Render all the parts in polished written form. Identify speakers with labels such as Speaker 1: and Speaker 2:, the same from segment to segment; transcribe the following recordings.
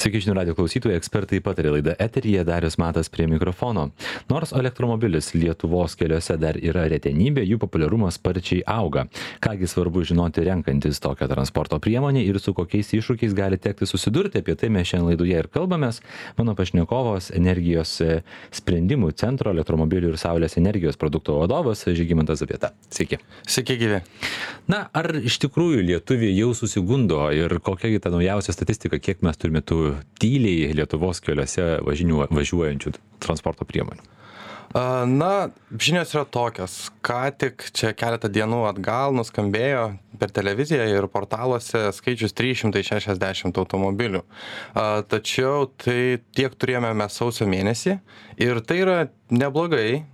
Speaker 1: Sveiki, žinių radio klausytojai, ekspertai patarė laida eteryje, Darius Matas prie mikrofono. Nors elektromobilis Lietuvos keliuose dar yra retenybė, jų populiarumas sparčiai auga. Kągi svarbu žinoti renkantis tokią transporto priemonę ir su kokiais iššūkiais gali tekti susidurti, apie tai mes šiandien laidoje ir kalbamės. Mano pašnekovas energijos sprendimų centro elektromobilių ir saulės energijos produkto vadovas Žygimantas Zabieta. Sveiki.
Speaker 2: Sveiki, gyvi.
Speaker 1: Na, ar iš tikrųjų lietuviai jau susigundo ir kokia ta naujausia statistika, kiek mes turime tų tyliai Lietuvos keliuose važiuojančių transporto priemonių?
Speaker 2: Na, žinios yra tokios. Ką tik čia keletą dienų atgal nuskambėjo per televiziją ir portaluose skaičius 360 automobilių. Tačiau tai tiek turėjome mes sausio mėnesį ir tai yra neblogai.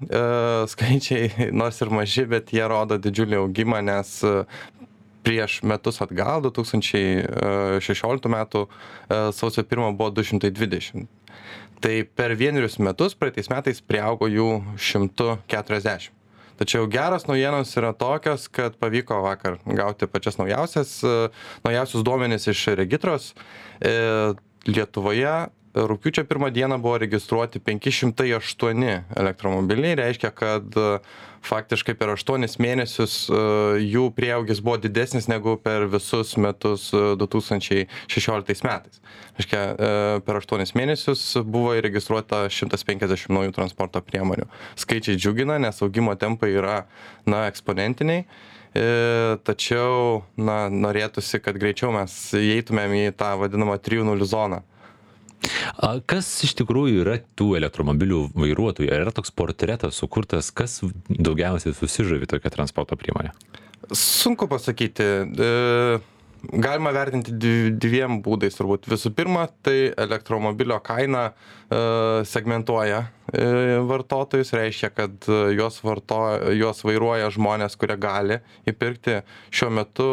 Speaker 2: Skaičiai nors ir maži, bet jie rodo didžiulį augimą, nes prieš metus atgal, 2016 metų sausio 1 buvo 220. Tai per vienerius metus praeitais metais priaugo jų 140. Tačiau geros naujienos yra tokios, kad pavyko vakar gauti pačias naujausius duomenis iš regitros. Lietuvoje rugpjūčio 1 dieną buvo registruoti 508 elektromobiliai, reiškia, kad faktiškai per 8 mėnesius jų prieaugis buvo didesnis negu per visus metus 2016 metais. Reiškia, per 8 mėnesius buvo įregistruota 150 naujų transporto priemonių. Skaičiai džiugina, nes augimo tempai yra eksponentiniai. Tačiau norėtųsi, kad greičiau mes įeitumėm į tą vadinamą 3.0 zoną.
Speaker 1: Kas iš tikrųjų yra tų elektromobilių vairuotojų? Ar yra toks portretas sukurtas, kas daugiausiai susižavi tokią transporto priemonę?
Speaker 2: Sunku pasakyti. Galima vertinti dviem būdais turbūt. Visų pirma, tai elektromobilio kaina segmentuoja vartotojus, reiškia, kad juos vairuoja žmonės, kurie gali įpirkti šiuo metu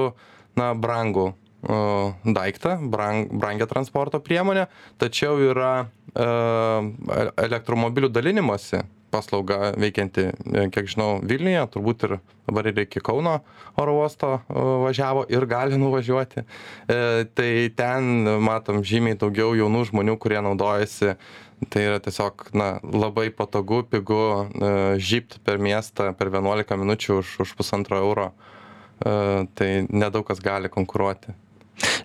Speaker 2: brangų daiktą, brangią transporto priemonę, tačiau yra elektromobilių dalinimosi paslauga veikianti, kiek žinau, Vilniuje, turbūt ir dabar ir iki Kauno oro uosto važiavo ir gali nuvažiuoti. Tai ten matom žymiai daugiau jaunų žmonių, kurie naudojasi. Tai yra tiesiog labai patogu, pigu žybt per miestą per 11 minučių už €1,5. Tai nedaug kas gali konkuruoti.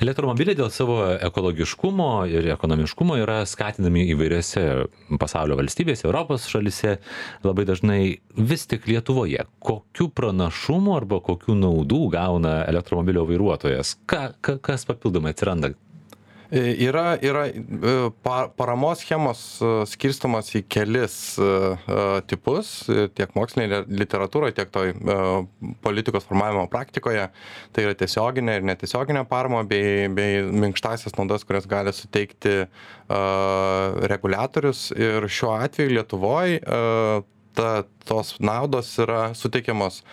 Speaker 1: Elektromobiliai dėl savo ekologiškumo ir ekonomiškumo yra skatinami įvairiose pasaulio valstybėse, Europos šalyse, labai dažnai vis tik Lietuvoje. Kokių pranašumų arba kokių naudų gauna elektromobilio vairuotojas? Kas papildomai atsiranda?
Speaker 2: Yra paramos schemos skirstomas į kelis tipus, tiek mokslinėje literatūroje, tiek toj politikos formavimo praktikoje. Tai yra tiesioginė ir netiesioginė parama bei minkštasias naudas, kurias gali suteikti reguliatorius. Ir šiuo atveju Lietuvoje tos naudos yra suteikiamos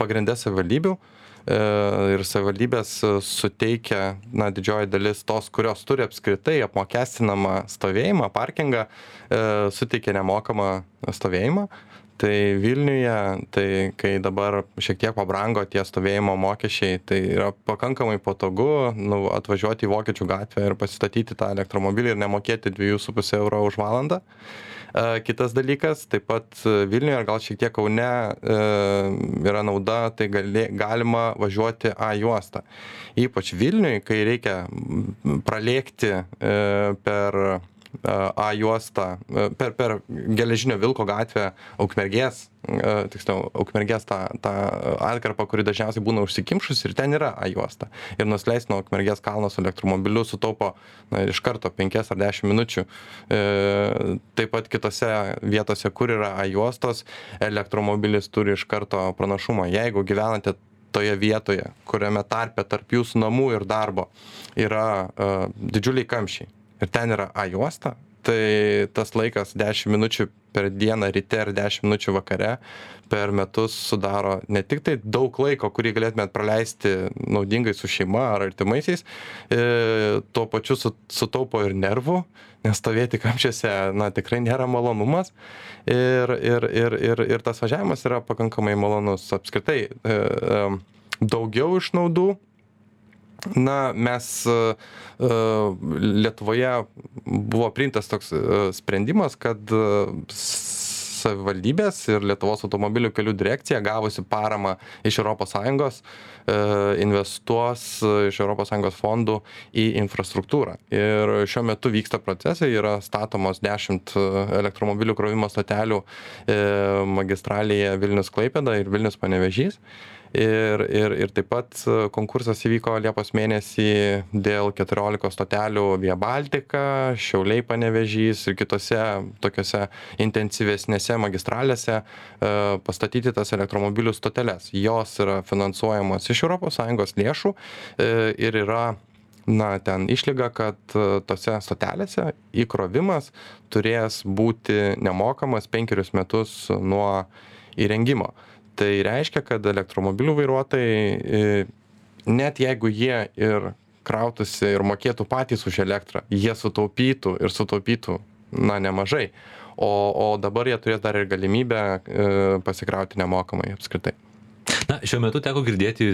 Speaker 2: pagrindė savivaldybių. Ir savivaldybės suteikia didžioji dalis tos, kurios turi apskritai apmokestinamą stovėjimą, parkingą, suteikia nemokamą stovėjimą. Tai Vilniuje, tai kai dabar šiek tiek pabrango tie stovėjimo mokesčiai, tai yra pakankamai patogu atvažiuoti į Vokiečių gatvę ir pasistatyti tą elektromobilį ir nemokėti 2,5 € už valandą. Kitas dalykas, taip pat Vilniuje ir gal šiek tiek Kaune yra nauda, tai galima važiuoti A juostą. Ypač Vilniuje, kai reikia pralėkti per A juostą, per Geležinio Vilko gatvę Ukmergės, tiksliau, Ukmergės tą atkarpą, kuri dažniausiai būna užsikimšus ir ten yra A juosta. Ir nusileisti nuo Ukmergės kalno su elektromobiliu sutaupo iš karto 5 ar 10 minučių. Taip pat kitose vietose, kur yra A juostos, elektromobilis turi iš karto pranašumą. Jeigu gyvenate toje vietoje, kuriame tarpe tarp jūsų namų ir darbo yra didžiuliai kamščiai ir ten yra A juosta, tai tas laikas 10 minučių per dieną ryte ir 10 minučių vakare per metus sudaro ne tik tai daug laiko, kurį galėtumėt praleisti naudingai su šeima ar artimaisiais, tuo pačiu sutaupo ir nervų, nes stovėti kamščiuose tikrai nėra malonumas ir tas važiavimas yra pakankamai malonus. Apskritai daugiau išnaudų Na, mes Lietuvoje buvo priimtas toks sprendimas, kad savivaldybės ir Lietuvos automobilių kelių direkcija gavusi paramą iš ES investuos iš ES fondų į infrastruktūrą. Ir šiuo metu vyksta procesai, yra statomos 10 elektromobilių krovimo stotelių magistralėje Vilnius-Klaipėda ir Vilnius-Panevėžys. Ir taip pat konkursas įvyko Liepos mėnesį dėl 14 stotelių Via Baltica, Šiauliai Panevėžys ir kitose tokiose intensyvesnėse magistralėse pastatyti tas elektromobilių stoteles. Jos yra finansuojamos iš ES lėšų ir yra ten išlyga, kad tose stotelėse įkrovimas turės būti nemokamas 5 metus nuo įrengimo. Tai reiškia, kad elektromobilių vairuotojai, net jeigu jie ir krautųsi ir mokėtų patys už elektrą, jie sutaupytų nemažai, o dabar jie turės dar ir galimybę pasikrauti nemokamai apskritai.
Speaker 1: Na, šiuo metu teko girdėti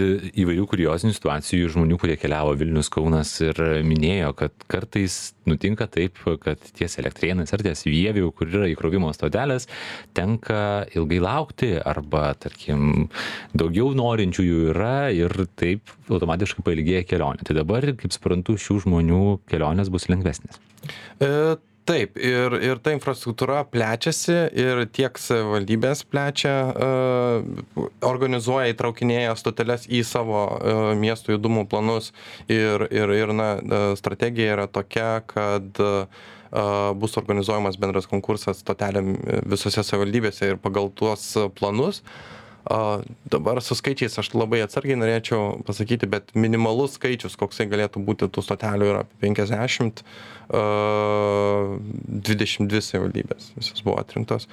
Speaker 1: įvairių kuriozinių situacijų žmonių, kurie keliavo Vilnius, Kaunas ir minėjo, kad kartais nutinka taip, kad ties Elektrėnais ar ties Vievių, kur yra įkrovimo stotelės, tenka ilgai laukti arba, tarkim, daugiau norinčiųjų yra ir taip automatiškai pailgėja kelionė. Tai dabar, kaip suprantu, šių žmonių kelionės bus lengvesnės.
Speaker 2: Taip, ir ta infrastruktūra plečiasi ir tiek savivaldybės plečia, organizuoja, įtraukinėja stoteles į savo miestų judumų planus ir strategija yra tokia, kad bus organizuojamas bendras konkursas stotelėm visose savivaldybėse ir pagal tuos planus. Dabar su skaičiais aš labai atsargiai norėčiau pasakyti, bet minimalus skaičius, koksai galėtų būti tų stotelių, yra 50, 22 savivaldybės, visos buvo atrinktos.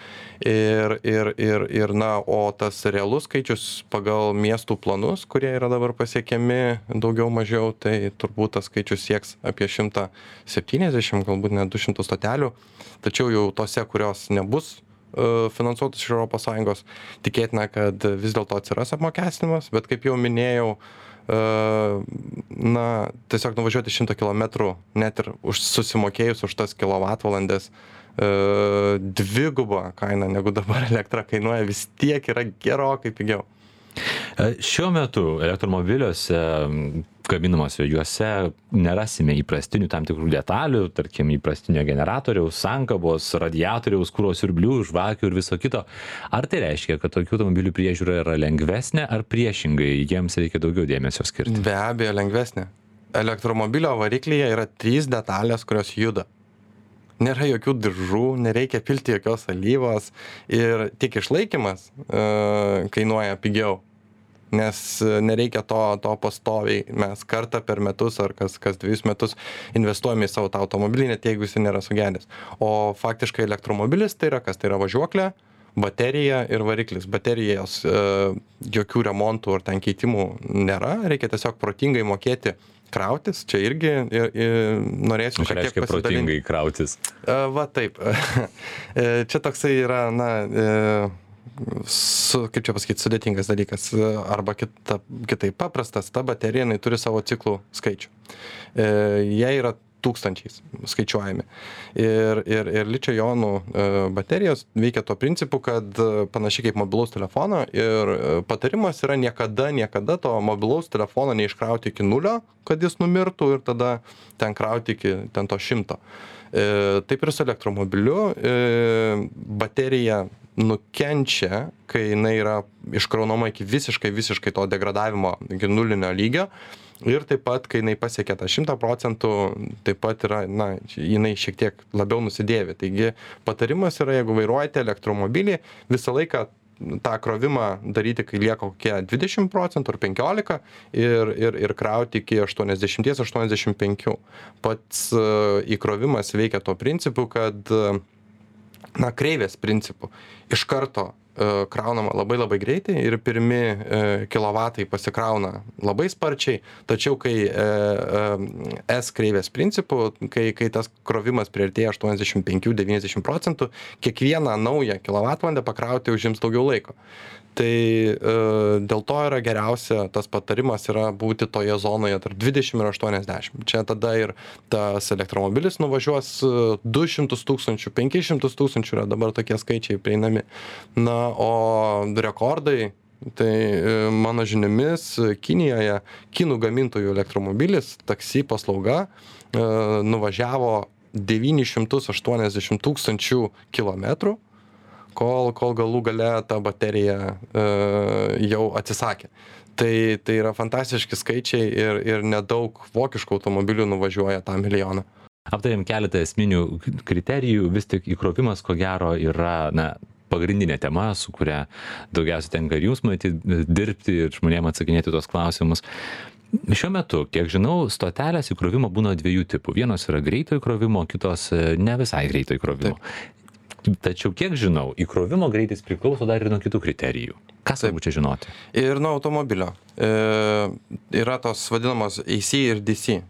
Speaker 2: O tas realus skaičius pagal miestų planus, kurie yra dabar pasiekiami daugiau mažiau, tai turbūt tas skaičius sieks apie 170, galbūt net 200 stotelių, tačiau jau tose, kurios nebus finansuotus iš ES, tikėtina, kad vis dėlto atsiras apmokestinimas, bet kaip jau minėjau, tiesiog nuvažiuoti 100 km, net ir susimokėjus už tas kilovatvalandes, dvigubą kainą, negu dabar elektra kainuoja, vis tiek yra gerokai pigiau.
Speaker 1: Šiuo metu elektromobiliuose gaminamuose juose nerasime įprastinių tam tikrų detalių, tarkim įprastinio generatoriaus, sankabos, radiatoriaus, kuro siurblių, žvakių ir viso kito. Ar tai reiškia, kad tokių automobilių priežiūra yra lengvesnė, ar priešingai jiems reikia daugiau dėmesio skirti?
Speaker 2: Be abejo, lengvesnė. Elektromobilio variklyje yra 3 detalės, kurios juda. Nėra jokių diržų, nereikia pilti jokios alyvos ir tik išlaikymas kainuoja pigiau. Nes nereikia to pastoviai, mes kartą per metus ar kas 2 metus investuojame į savo tą automobilį, net jeigu jis nėra sugedęs. O faktiškai elektromobilis tai yra kas? Tai yra važiuoklė, baterija ir variklis. Baterijos jokių remontų ar ten keitimų nėra, reikia tiesiog protingai mokėti krautis, čia irgi norėsiu šiek tiek pasidalinti.
Speaker 1: Protingai krautis.
Speaker 2: Va taip. Čia toksai yra, kaip čia pasakyti, sudėtingas dalykas, arba kitaip paprastas, ta baterija, jinai turi savo ciklų skaičių. Jie yra tūkstančiais skaičiuojami. Ir ličio jonų baterijos veikia tuo principu, kad panašiai kaip mobilaus telefono ir patarimas yra niekada to mobilaus telefono neiškrauti iki 0, kad jis numirtų ir tada ten krauti iki ten to 100. Taip ir su elektromobiliu baterija nukenčia, kai jinai yra iškraunama iki visiškai to degradavimo, iki nulinio lygio. Ir taip pat, kai jinai pasiekia tą 100%, taip pat yra, jinai šiek tiek labiau nusidėvi. Taigi patarimas yra, jeigu vairuojate elektromobilį, visą laiką tą krovimą daryti, kai lieka kokie 20% ar 15% ir krauti iki 80-85%. Pats įkrovimas veikia tuo principu, kad kreivės principu. Iš karto kraunama labai greitai ir pirmi kilovatai pasikrauna labai sparčiai, tačiau kai S kreivės principų, kai tas krovimas priartėja 85-90%, kiekvieną naują kilovatvalandę pakrauti užims daugiau laiko. Tai dėl to yra geriausia, tas patarimas yra būti toje zonoje tarp 20 ir 80. Čia tada ir tas elektromobilis nuvažiuos 200 000, 500 000 yra dabar tokie skaičiai prieinami. Na, o rekordai, tai mano žiniomis Kinijoje, kinų gamintojų elektromobilis, taksi paslauga nuvažiavo 980 000 kilometrų, kol galų gale ta baterija jau atsisakė. Tai yra fantastiški skaičiai ir nedaug vokiškų automobilių nuvažiuoja tą milijoną.
Speaker 1: Aptarėm keletą esminių kriterijų, vis tik įkrovimas ko gero yra, pagrindinė tema, su kuria daugiausiai tenka ir jūs matyti dirbti ir žmonėms atsakinėti tuos klausimus. Šiuo metu, kiek žinau, stotelės įkrovimo būna dviejų tipų. Vienos yra greito įkrovimo, kitos ne visai greito įkrovimo. Taip. Tačiau, kiek žinau, įkrovimo greitis priklauso dar ir nuo kitų kriterijų. Ką svarbu čia žinoti?
Speaker 2: Ir nuo automobilio. Yra tos vadinamos AC ir DC.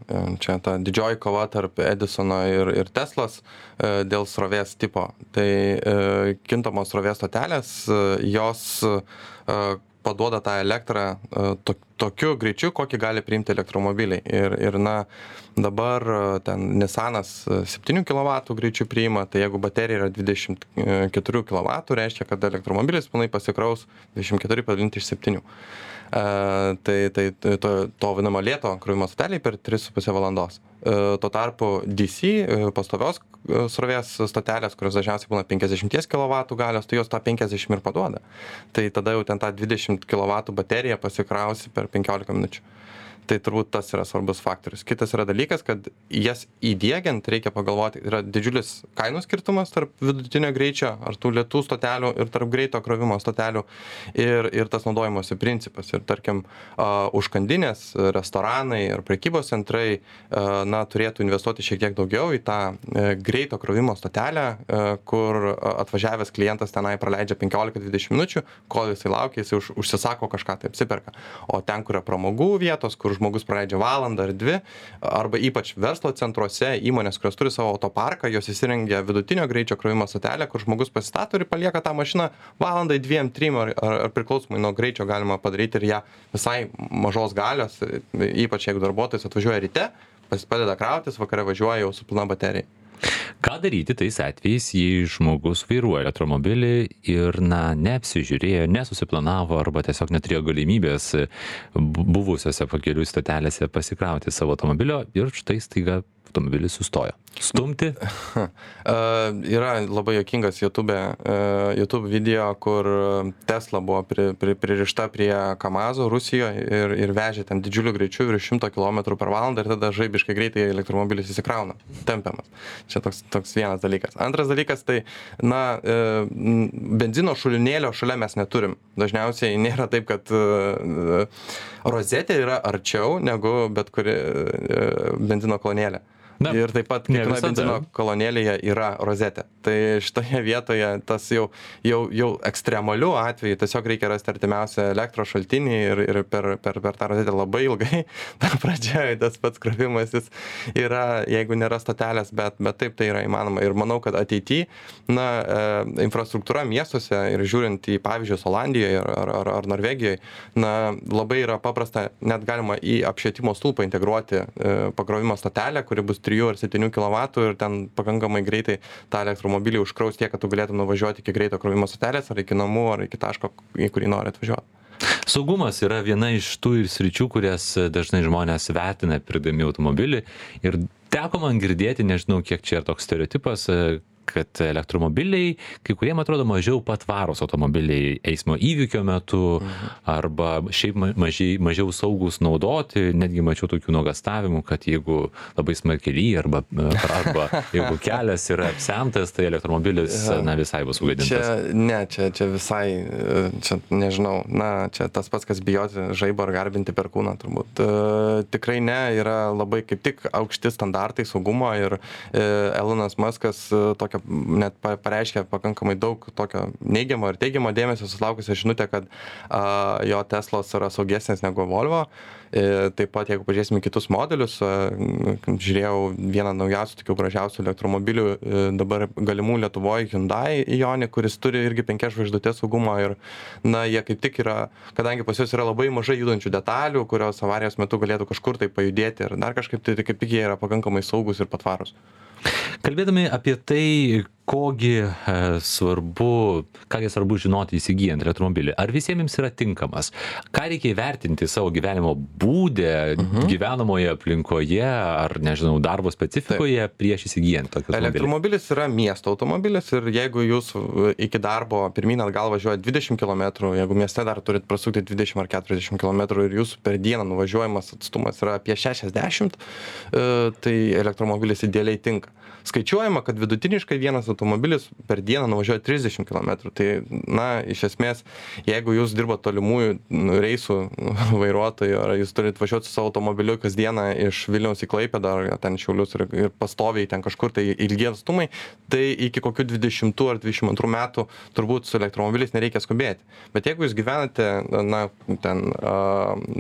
Speaker 2: Čia ta didžioji kova tarp Edisono ir Teslos dėl srovės tipo. Tai kintamos srovės stotelės, jos paduoda tą elektrą tokiu greičiu, kokį gali priimti elektromobiliai. Ir dabar ten Nissanas 7 kW greičiu priima, tai jeigu baterija yra 24 kW, reiškia, kad elektromobilis pilnai pasikraus 24 padalinti iš 7. Tai to vadinamo lėto krovimo stoteliai per 3,5 valandos. Tuo tarpu DC pastovios srovės stotelės, kurios dažniausiai būna 50 kW galios, tai jos tą 50 ir paduoda. Tai tada jau ten tą 20 kW bateriją pasikrausi per 15 minučių. Tai turbūt tas yra svarbus faktorius. Kitas yra dalykas, kad jas įdiegiant reikia pagalvoti, yra didžiulis kainų skirtumas tarp vidutinio greičio ar tų lėtų stotelių ir tarp greito krovimo stotelių ir tas naudojimosi principas. Ir tarkim, užkandinės, restoranai ir prekybos centrai turėtų investuoti šiek tiek daugiau į tą greito krovimo stotelę, kur atvažiavęs klientas tenai praleidžia 15-20 minučių, kol jisai laukia, jisai užsisako kažką, tai apsiperka. O ten, kur yra pramogų vietos, kur žmogus praleidžia valandą ar 2, arba ypač verslo centruose, įmonės, kurios turi savo autoparką, jos įsirengia vidutinio greičio krovimo stotelę, kur žmogus pasistato ir palieka tą mašiną valandai, 2-3 ar priklausomai nuo greičio galima padaryti ir ją visai mažos galios, ypač jeigu darbuotojas atvažiuoja ryte, padeda krautis, vakare važiuoja jau su pilna baterija.
Speaker 1: Ką daryti tais atvejais, jei žmogus vairuoja elektromobilį ir neapsižiūrėjo, nesusiplanavo arba tiesiog neturėjo galimybės buvusiose pakelių stotelėse pasikrauti savo automobilio ir štai staiga automobilis sustojo. Stumti?
Speaker 2: Yra labai juokingas YouTube video, kur Tesla buvo pririšta prie Kamazo Rusijoje ir vežė ten didžiuliu greičiu virš 100 km per valandą ir tada žaibiškai greitai elektromobilis įsikrauna, tempiamas. Čia toks vienas dalykas. Antras dalykas, tai benzino šulinėlio šalia mes neturim. Dažniausiai nėra taip, kad rozetė yra arčiau negu bet kuri benzino kolonėlė. Ir taip pat kiekviena benzino kolonėlėje yra rozetė. Tai šitoje vietoje tas jau ekstremalių atveju tiesiog reikia rasti artimiausią elektros šaltinį ir per tą rozetę labai ilgai. Dar pradžioje tas pats krovimasis yra, jeigu nėra stotelės, bet taip tai yra įmanoma. Ir manau, kad ateityje infrastruktūra miestuose ir žiūrint į pavyzdžius Olandijoje ar Norvegijoje, labai yra paprasta, net galima į apšvietimo stulpą integruoti pakrovimo stotelę, kuri bus 3 ar 7 kW ir ten pakankamai greitai tą elektromobilį užkraus tiek, kad tu galėtum nuvažiuoti iki greito krovimo stotelės ar iki namų ar iki taško, į kurį nori atvažiuoti.
Speaker 1: Saugumas yra viena iš tų sričių, kurias dažnai žmonės vertina pirkdami automobilį ir teko man girdėti, nežinau kiek čia yra toks stereotipas, kad elektromobiliai, kai kuriem atrodo mažiau patvarūs automobiliai eismo įvykio metu arba šiaip mažiau saugus naudoti, netgi mačiau tokių nuogastavimų, kad jeigu labai smarkiai lyja arba jeigu kelias yra apsemtas, tai elektromobilis visai bus sugadintas.
Speaker 2: Čia visai, čia nežinau, čia tas pats, kas bijoti žaibo ar garbinti perkūną turbūt. Tikrai ne, yra labai kaip tik aukšti standartai saugumo ir Elonas Muskas tokią tokią net pareiškė pakankamai daug tokio neigiamo ir teigiamo dėmesio sulaukusią žinutę, kad jo Teslos yra saugesnės negu Volvo. Taip pat, jeigu pažiūrėsime kitus modelius, žiūrėjau vieną naujausių, tokių gražiausių elektromobilių dabar galimų Lietuvoje, Hyundai Ioniq, kuris turi irgi 5 žvaigždutės saugumo ir, na, jie kaip tik yra, kadangi pas juos yra labai mažai judančių detalių, kurios avarijos metu galėtų kažkur tai pajudėti ir dar kažkaip, tai kaip tik jie yra pakankamai saugus ir patvarus.
Speaker 1: Kalbėdami apie tai, kągi svarbu žinoti įsigyjant elektromobilį, ar visiems jums yra tinkamas, ką reikia įvertinti savo gyvenimo būde, gyvenamoje aplinkoje, ar, nežinau, darbo specifikoje prieš įsigyjant tokį automobilį?
Speaker 2: Elektromobilis yra miesto automobilis ir jeigu jūs iki darbo pirmyn atgal važiuojat 20 km, jeigu mieste dar turit prasukti 20 ar 40 km ir jūsų per dieną nuvažiuojamas atstumas yra apie 60, tai elektromobilis idealiai tinka. Skaičiuojama, kad vidutiniškai vienas automobilis per dieną nuvažiuoja 30 km. Tai, na, iš esmės, jeigu jūs dirbat tolimųjų reisų vairuotojų, ar jūs turit važiuoti su savo automobiliu kasdieną iš Vilniaus į Klaipėdą, ar ten Šiaulius ir pastoviai ten kažkur tai ilgie atstumai, tai iki kokių 20 ar 22 metų turbūt su elektromobiliais nereikia skubėti. Bet jeigu jūs gyvenate, na, ten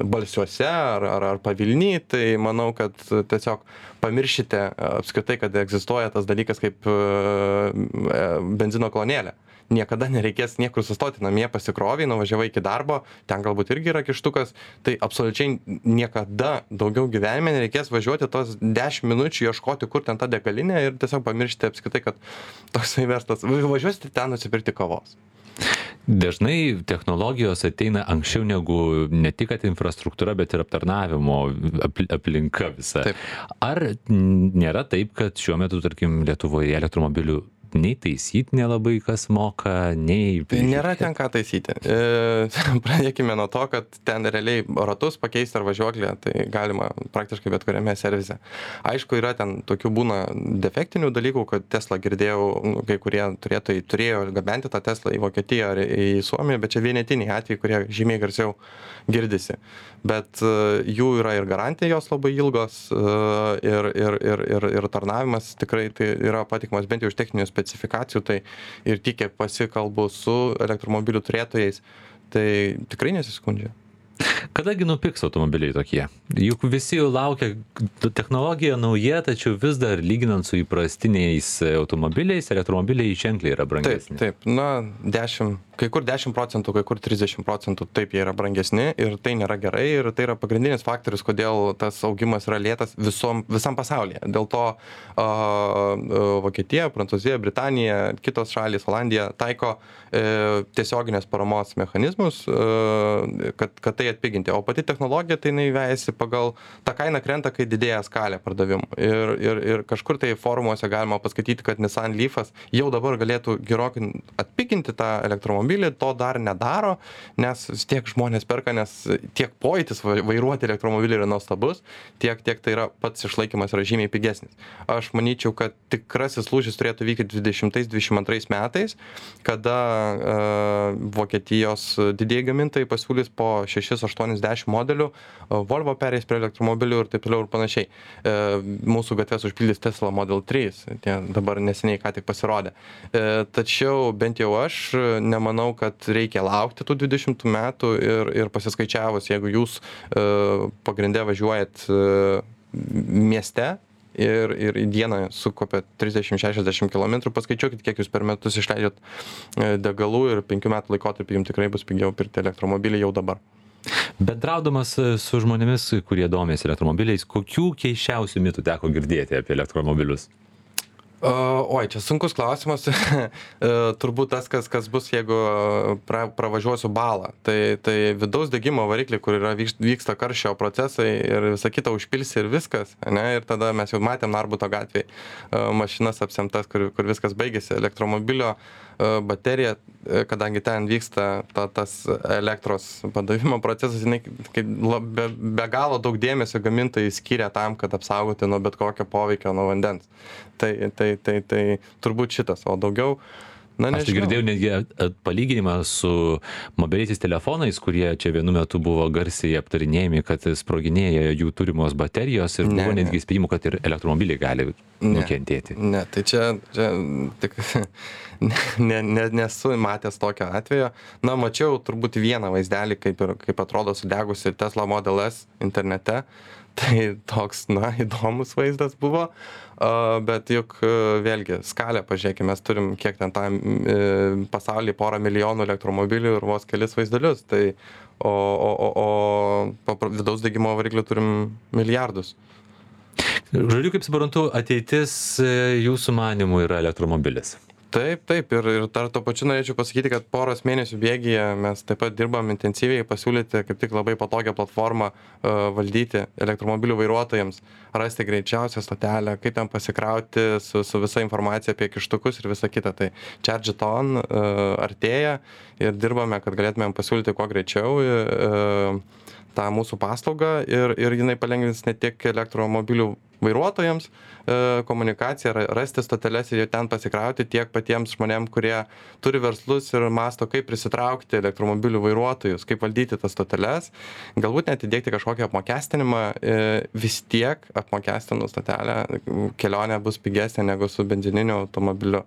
Speaker 2: Balsiuose ar Pavilny, tai manau, kad tiesiog pamiršite apskritai, kad egzistuoja tas dalykas kaip benzino kolonėlė. Niekada nereikės niekur sustoti, namie pasikroviai, nuvažiavai iki darbo, ten galbūt irgi yra kištukas, tai absoliučiai niekada daugiau gyvenime nereikės važiuoti tos 10 minučių, ieškoti, kur ten ta degalinė ir tiesiog pamiršti apskritai, kad toksai verslas. Važiuosite ten nusipirkti kavos.
Speaker 1: Dažnai technologijos ateina anksčiau negu ne tik kad infrastruktūra, bet ir aptarnavimo aplinka visa.
Speaker 2: Taip.
Speaker 1: Ar nėra taip, kad šiuo metu, tarkim, Lietuvoje elektromobilių nei taisyti nelabai kas moka, nei...
Speaker 2: Nėra ten ką taisyti. Pradėkime nuo to, kad ten realiai ratus pakeisti ar važiuoklę, tai galima praktiškai bet kuriame servise. Aišku, yra ten tokių būna defektinių dalykų, kad Tesla girdėjau, kai kurie turėjo gabenti tą Teslą į Vokietiją ar į Suomiją, bet čia vienetiniai atvejai, kurie žymiai garsiau girdisi. Bet jų yra ir garantijos labai ilgos ir tarnavimas tikrai tai yra patikimas bent jau iš techninių specifikacijų, tai ir tik kiek pasikalbu su elektromobilių turėtojais, tai tikrai nesiskundžia.
Speaker 1: Kadagi nupigs automobiliai tokie? Juk visi laukia, technologija nauja, tačiau vis dar lyginant su įprastiniais automobiliais, elektromobiliai ženkliai yra brangesni.
Speaker 2: Taip, na, kai kur 10%, kai kur 30%, taip jie yra brangesni ir tai nėra gerai ir tai yra pagrindinis faktorius, kodėl tas augimas yra lėtas visam pasaulyje. Dėl to Vokietija, Prancūzija, Britanija, kitos šalys, Olandija taiko tiesioginės paramos mechanizmus, kad tai atpiginti. O pati technologija tai jinai vejasi pagal tą kainą krenta, kai didėja skalė pardavimų. Ir kažkur tai forumuose galima paskaityti, kad Nissan Leafas jau dabar galėtų gerokai atpiginti tą elektromobilį, to dar nedaro, nes tiek žmonės perka, nes tiek pojūtis vairuoti elektromobilį yra nuostabus, tiek tai yra pats išlaikymas yra žymiai pigesnis. Aš manyčiau, kad tikrasis lūžis turėtų vykti 2020-2022 metais, kada Vokietijos didieji gamintojai pasiūlys po 6-80 modelių, Volvo pereis prie elektromobilių ir taip toliau ir panašiai. Mūsų gatves užpildys Tesla Model 3, tie dabar neseniai ką tik pasirodė. Tačiau bent jau aš nemanau, kad reikia laukti tų 20 metų ir pasiskaičiavus, jeigu jūs pagrinde važiuojat mieste, ir į dieną sukopia 30-60 km, paskaičiuokit, kiek jūs per metus išleidžiat degalų ir 5 metų laikotarpį jums tikrai bus pigiau pirkti elektromobilį jau dabar.
Speaker 1: Bendraudamas su žmonėmis, kurie domės elektromobiliais, kokių keisčiausių mitų teko girdėti apie elektromobilius?
Speaker 2: Oi, čia sunkus klausimas. Turbūt tas, kas bus, jeigu pravažiuosiu balą. Tai vidaus degimo variklį, kur vyksta karščio procesai ir visa kita užpilsi ir viskas. Ne? Ir tada mes jau matėm Narbuto gatvėje mašinas apsemtas, kur viskas baigėsi. Elektromobilio baterija, kadangi ten vyksta tas elektros padavimo procesas, jinai be galo daug dėmesio gamintojai skiria tam, kad apsaugoti nuo bet kokio poveikio nuo vandens. Tai turbūt šitas, o daugiau Na,
Speaker 1: Aš tai girdėjau netgi palyginimą su mobiliaisiais telefonais, kurie čia vienu metu buvo garsiai aptarinėjami, kad sproginėja jų turimos baterijos ir buvo netgi įspėjimų, kad ir elektromobiliai gali nukentėti.
Speaker 2: Ne, tai čia tik nesu matęs tokio atvejo. Na, mačiau turbūt vieną vaizdelį, kaip atrodo sudegusi Tesla Model S internete. Tai toks, įdomus vaizdas buvo, bet juk vėlgi skalę pažiūrėkime, mes turim kiek ten tam pasaulyje 1 milijonų elektromobilių ir vos kelis vaizdelius, tai o vidaus degimo variklių turim milijardus.
Speaker 1: Žodžiu, kaip suprantu, ateitis jūsų manimų yra elektromobilis.
Speaker 2: Taip, ir dar to pačiu norėčiau pasakyti, kad poros mėnesių bėgyje mes taip pat dirbam intensyviai pasiūlyti kaip tik labai patogią platformą valdyti elektromobilių vairuotojams, rasti greičiausią stotelę, kaip ten pasikrauti su visa informacija apie kištukus ir visa kita. Tai Charge It On artėja ir dirbame, kad galėtumėm pasiūlyti kuo greičiau tą mūsų paslaugą ir jinai palengvins ne tik elektromobilių vairuotojams komunikaciją, rasti stoteles ir ten pasikrauti tiek patiems žmonėm, kurie turi verslus ir masto, kaip prisitraukti elektromobilių vairuotojus, kaip valdyti tas stoteles, galbūt net įdėkti kažkokį apmokestinimą, vis tiek apmokestinus stotelę kelionė bus pigesnė negu su benzininiu automobiliu.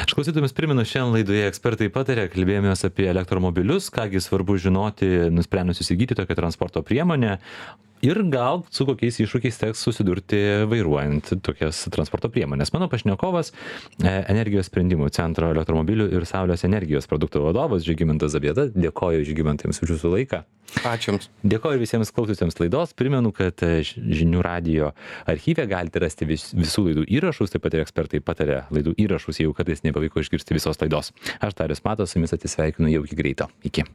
Speaker 1: Aš klausytojams primenu, šiandien laidoje ekspertai patarė, kalbėjomės apie elektromobilius, kągi svarbu žinoti, nusprendus įsigyti tokią transporto priemonę ir gal su kokiais iššūkiais teks susidurti vairuojant tokias transporto priemonės. Mano pašnekovas Energijos sprendimų centro elektromobilių ir saulės energijos produktų vadovas Žygimantas Zabieta. Dėkoju Žygimantams už jūsų laiką.
Speaker 2: Ačiū Jums.
Speaker 1: Dėkoju visiems klausytojams laidos. Primenu, kad Žinių radijo archyve galite rasti visų laidų įrašus, taip pat ir ekspertai patarė laidų įrašus, jeigu kartais nepavyko išgirsti visos laidos. Aš Darius Matas, su jumis atsisveikinu jau iki greito. Iki.